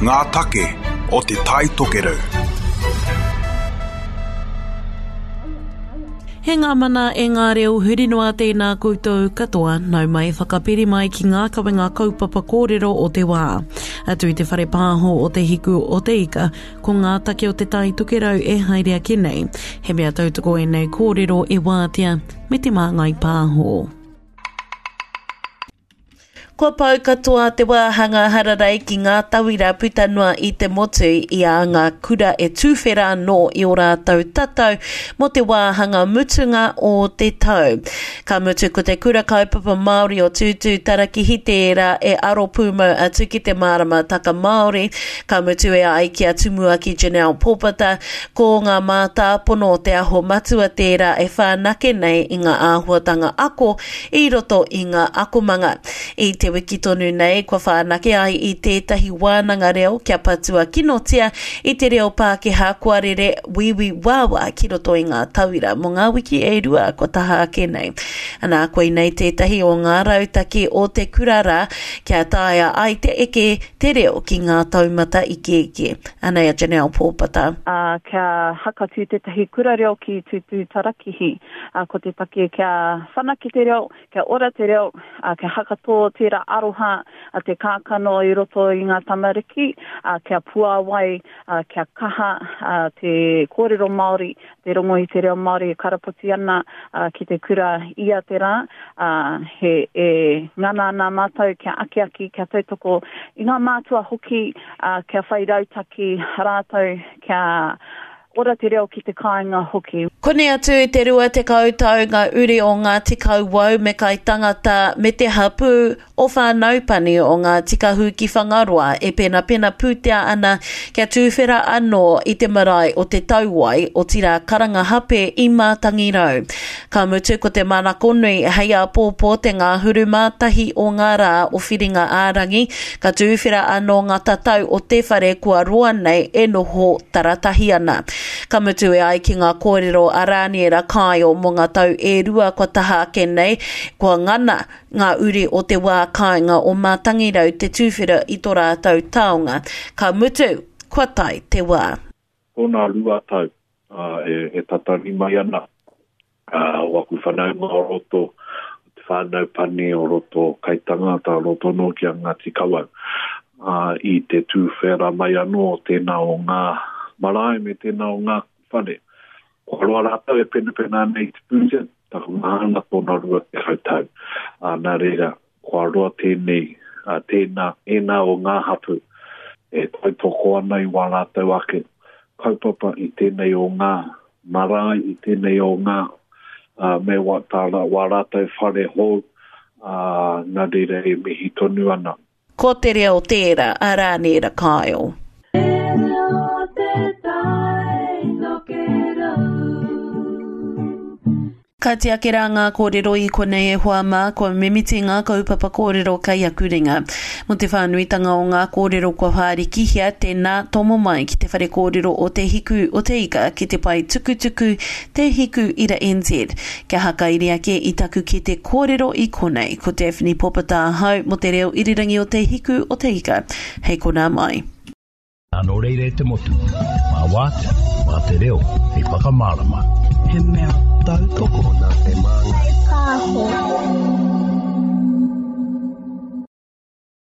Ngā take o Te Tai Tokerau. He ngā mana e ngā reo huri noa tēnā koutou katoa, nau mai whakapiri mai ki ngā kawenga kaupapa kōrero o te wā. Atu i te whare pāho o Te Hiku o Te Ika, ko ngā take o Te Tai Tokerau e haere ake nei. He mea tautoko ēnei kōrero e wātea me te māngai pāho. Kua pau katoa te wāhanga hararei ki ngā tauira puta noa i te motu i a ngā kura e tuwhera anō i ō rātou tatau mō te wāhanga mutunga o te tau. Ka mutu ko te Kura Kaupapa Māori o Tūtū Tarakihi tērā e aro pūmau atu ki te māramataka Māori, ka mutu e ai ki a Tumuaki Janelle Pōpata, ko ngā mātāpono o Te Aho Matua tērā e whanake nei i ngā āhuatanga ako i roto i ngā akomanga. I te wiki tonu nei, kua whanake ai i tētahi wānanga reo kia patua kinotia i te reo Pākehā kua rere wīwī wāwā ki roto i ngā tauira mō ngā wiki e rua kua taha ake nei. Anā, koinei tētahi o ngā rautaki o te kura rā kia taea ai te eke te reo ki ngā taumata ikeike. Anei a Janelle Pōpata. Ā, kia hakatū tētahi kura reo ki Tūtūtarakihi. Ā, ko te take kia whanake te reo, kia ora te reo, ā, kia hakatō tērā aroha a te kākano i roto i ngā tamariki, ā, kia puāwai, ā, kia kaha, ā, te kōrero Māori, te rongo i te reo Māori e karapoti ana, ā, ki te kura ia te rā, ā, he, e ngana ana mātou kia akiaki, kia tautoko i ngā mātua hoki, ā, kia whai rautaki rātou kia ora te reo ki te kāinga hoki. Koni atu i te 20 tau ngā uri o Ngāti Kauwau me Kaitangata me te hapū o Whānaupani o Ngāti Kahu ki Whangaroa e penapena pūtea ana kia tūwhera anō i te marae o Te Tauwai, otirā Karangahape i Mātangirau. Ka mutu ko te manako nui hei āpōpō te ngahuru mātahi o ngā rā o Whiringa-ā-rangi, ka tūwhera anō ngā tatau o te whare kua roa nei e noho taratahi ana. Ka mutu e ai ki ngā kōrero a Rāniera Kāio mō ngā tau e rua kua taha ake nei, kua ngana ngā uri o te wā kāinga o Mātangirau te tūwhera i tō rātou taonga. Ka mutu, kua tae te wā. Tōna 2 tau e tatari mai ana o aku whanaunga o roto, o te whānau pani o roto Kaitangata, o roto anō ki a Ngāti Kawau, i te tūwhera mai anō o tēnā o ngā marae me tēnā o ngā whare. Kua roa rātou e penapena ana i te pūtea, takumaha ana tōna 20 tau. Nā reira, Kua roa tēnei, tēnā, ēnā o ngā hapū e tautoko ana i wā rātou ake kaupapa i tēnei o ngā marae, i tēnei o ngā, me wā, tā, wā rātou whare hou, ā, nā reira e mihi tonu ana. Ko te reo tērā a Rāniera Kyle. Te reo te tai tokerau. Ka tiaki rā ngā kōrero i konei e hoa mā, kua mimiti ngā kaupapa kōrero kei aku ringa. Mō te whānuitanga o ngā kōrero kua whārikihia, tēnā, tomo mai ki te whare kōrero o Te Hiku o Te Ika ki te pae tukutuku Te Hiku Ira NZ. Kia hakairi ake i taku kete kōrero i konei, ko Daphne Popata ahau mō te reo irirangi o Te Hiku o Te Ika. Hei konā mai. Nō reira e te motu, mā wātea, mā te reo, hei whakamārama. He mea tautoko nā Te Māngai Pāho.